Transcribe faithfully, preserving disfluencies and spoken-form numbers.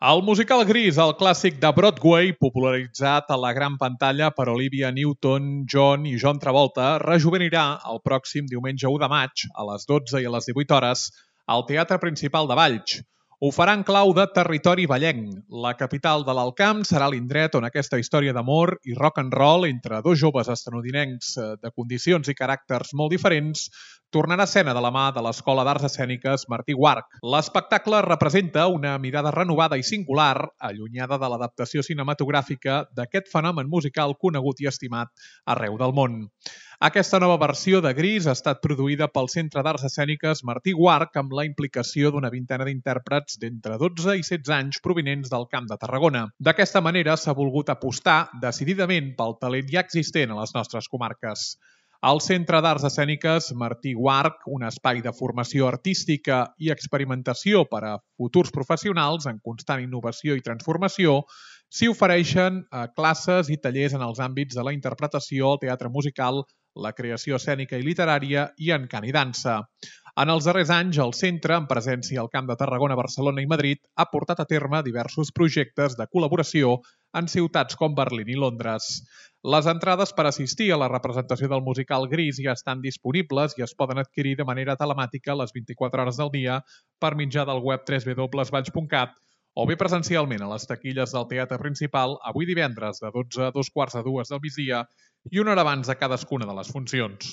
El musical Gris, el clàssic de Broadway, popularitzat a la gran pantalla per Olivia Newton-John i John Travolta, rejuvenirà el pròxim diumenge u de maig, a les dotze i a les divuit hores, al Teatre Principal de Valls. Ho farà en clau de territori vallenc. La capital de l'Alt Camp serà l'indret on aquesta història d'amor i rock and roll entre dos joves estatunidencs de condicions i caràcters molt diferents tornarà a escena de la mà de l'Escola d'Arts Escèniques Martí Guarch. L'espectacle representa una mirada renovada i singular, allunyada de l'adaptació cinematogràfica d'aquest fenomen musical conegut i estimat arreu del món. Aquesta nova versió de Gris ha estat produïda pel Centre d'Arts Escèniques Martí Guarch amb la implicació d'una vintena d'intèrprets d'entre dotze i setze anys provinents del Camp de Tarragona. D'aquesta manera s'ha volgut apostar decididament pel talent ja existent a les nostres comarques. El Centre d'Arts Escèniques Martí Guarch, un espai de formació artística i experimentació per a futurs professionals en constant innovació i transformació, s'hi ofereixen classes i tallers en els àmbits de la interpretació, el teatre musical, la creació escènica i literària i en cant i dansa. En els darrers anys, el centre, en presència al Camp de Tarragona, Barcelona i Madrid, ha portat a terme diversos projectes de col·laboració en ciutats com Berlín i Londres. Les entrades per assistir a la representació del musical Gris ja estan disponibles i es poden adquirir de manera telemàtica a les vint-i-quatre hores del dia per mitjà del web w w w punt valls punt cat o bé presencialment a les taquilles del Teatre Principal avui divendres de dotze a dos quarts de dues del migdia i una hora abans de cadascuna de les funcions.